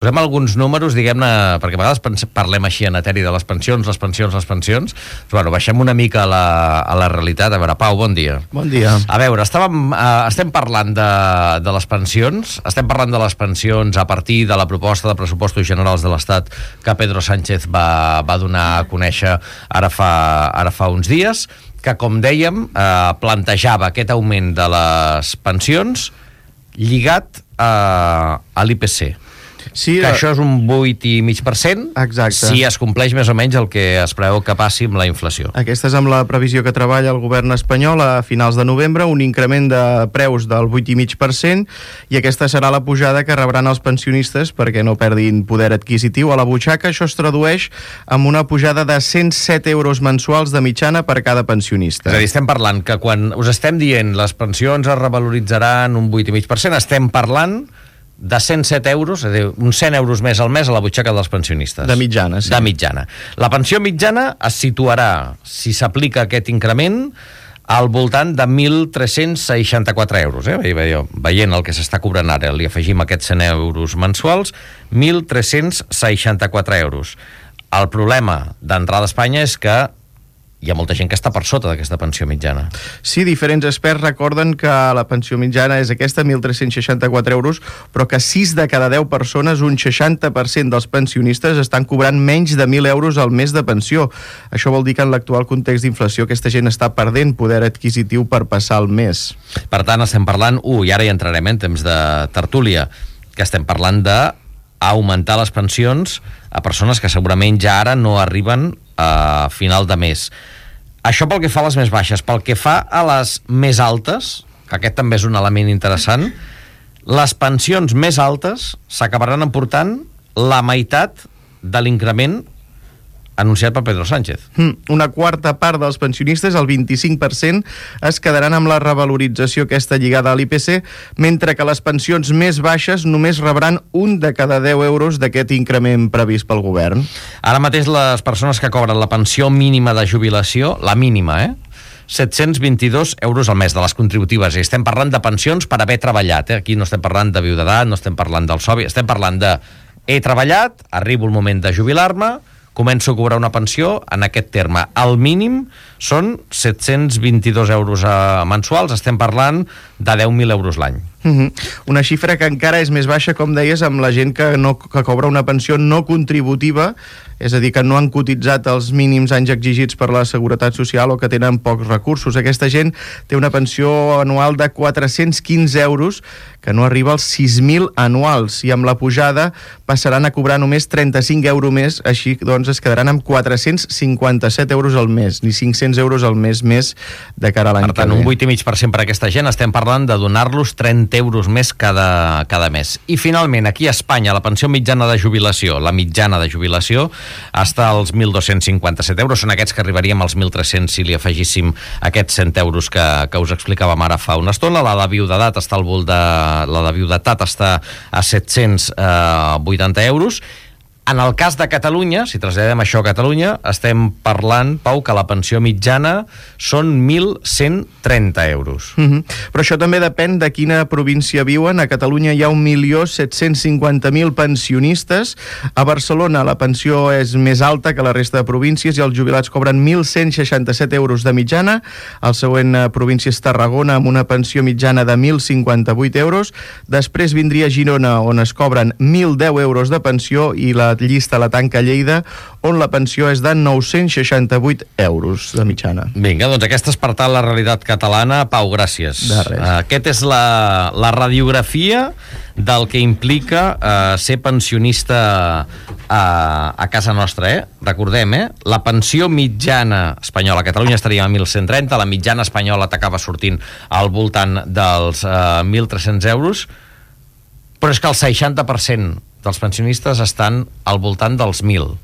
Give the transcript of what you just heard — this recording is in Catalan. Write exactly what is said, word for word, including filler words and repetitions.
Posem alguns números, diguem-ne, perquè a vegades parlem així en eteri de les pensions, les pensions, les pensions. Bueno, baixem una mica a la, a la realitat. A veure, Pau, bon dia. Bon dia. A veure, estàvem, uh, estem parlant de, de les pensions, estem parlant de les pensions a partir de la proposta de pressupostos generals de l'Estat que Pedro Sánchez va, va donar a conèixer ara fa, ara fa uns dies, que, com dèiem, uh, plantejava aquest augment de les pensions lligat uh, a l'I P C. Sí, que això és un vuit coma cinc per cent. Exacte. Si es compleix més o menys el que es preveu que passi amb la inflació. Aquesta és amb la previsió que treballa el govern espanyol a finals de novembre, un increment de preus del vuit coma cinc per cent, i aquesta serà la pujada que rebran els pensionistes perquè no perdin poder adquisitiu a la butxaca. Això es tradueix amb una pujada de cent set euros mensuals de mitjana per cada pensionista. És a dir, estem parlant que quan us estem dient les pensions es revaloritzaran un vuit coma cinc per cent, estem parlant de cent set euros, és a dir, uns cent euros més al mes a la butxaca dels pensionistes. De mitjana, sí. De mitjana. La pensió mitjana es situarà, si s'aplica aquest increment, al voltant de mil tres-cents seixanta-quatre euros. Eh? Veient el que s'està cobrant ara, li afegim aquests cent euros mensuals, mil tres-cents seixanta-quatre euros. El problema d'entrada a Espanya és que hi ha molta gent que està per sota d'aquesta pensió mitjana. Sí, diferents experts recorden que la pensió mitjana és aquesta, mil tres-cents seixanta-quatre euros, però que sis de cada deu persones, un seixanta per cent dels pensionistes, estan cobrant menys de mil euros al mes de pensió. Això vol dir que en l'actual context d'inflació aquesta gent està perdent poder adquisitiu per passar el mes. Per tant, estem parlant, uh, i ara hi entrarem en temps de tertúlia, que estem parlant de augmentar les pensions a persones que segurament ja ara no arriben a final de mes. Això pel que fa a les més baixes. Pel que fa a les més altes, que aquest també és un element interessant, les pensions més altes s'acabaran emportant la meitat de l'increment anunciat per Pedro Sánchez. Una quarta part dels pensionistes, el vint-i-cinc per cent, es quedaran amb la revalorització aquesta lligada a l'I P C, mentre que les pensions més baixes només rebran un de cada deu euros d'aquest increment previst pel govern. Ara mateix les persones que cobren la pensió mínima de jubilació, la mínima, eh? set-cents vint-i-dos euros al mes de les contributives. I estem parlant de pensions per haver treballat. Eh? Aquí no estem parlant de viudetat, no estem parlant del sobi, estem parlant de he treballat, arribo el moment de jubilar-me, començo a cobrar una pensió en aquest terme. El mínim són set-cents vint-i-dos euros mensuals, estem parlant de deu mil euros l'any. Uh-huh. Una xifra que encara és més baixa, com deies, amb la gent que, no, que cobra una pensió no contributiva, és a dir, que no han cotitzat els mínims anys exigits per la Seguretat Social o que tenen pocs recursos. Aquesta gent té una pensió anual de quatre-cents quinze euros, que no arriba als sis mil anuals, i amb la pujada passaran a cobrar només trenta-cinc euros més, així doncs es quedaran amb quatre-cents cinquanta-set euros al mes, ni cinc-cents euros al mes més de cara a l'any que ve. Per tant, un vuit coma cinc per cent per aquesta gent, estem parlant de donar-los trenta euros més cada, cada mes. I finalment, aquí a Espanya, la pensió mitjana de jubilació, la mitjana de jubilació, està als mil dos-cents cinquanta-set euros, són aquests que arribaríem als mil tres-cents si li afegíssim aquests cent euros que, que us explicàvem ara fa una estona. La de viudetat està al volt de... la de viudetat està a set-cents vuitanta euros. En el cas de Catalunya, si traslladem això a Catalunya, estem parlant, Pau, que la pensió mitjana són mil cent trenta euros. Uh-huh. Però això també depèn de quina província viuen. A Catalunya hi ha un milió set-cents cinquanta mil pensionistes. A Barcelona la pensió és més alta que la resta de províncies i els jubilats cobren mil cent seixanta-set euros de mitjana. El següent província és Tarragona, amb una pensió mitjana de mil cinquanta-vuit euros. Després vindria Girona, on es cobren mil deu euros de pensió, i la llista la tanca Lleida, on la pensió és de nou-cents seixanta-vuit euros de mitjana. Vinga, doncs aquesta és per tant la realitat catalana. Pau, gràcies. De res. Aquest és la, la radiografia del que implica eh, ser pensionista a, a casa nostra, eh? Recordem, eh? La pensió mitjana espanyola a Catalunya estaria a mil cent trenta, la mitjana espanyola t'acaba sortint al voltant dels eh, mil tres-cents euros, però és que el seixanta per cent dels pensionistes estan al voltant dels mil.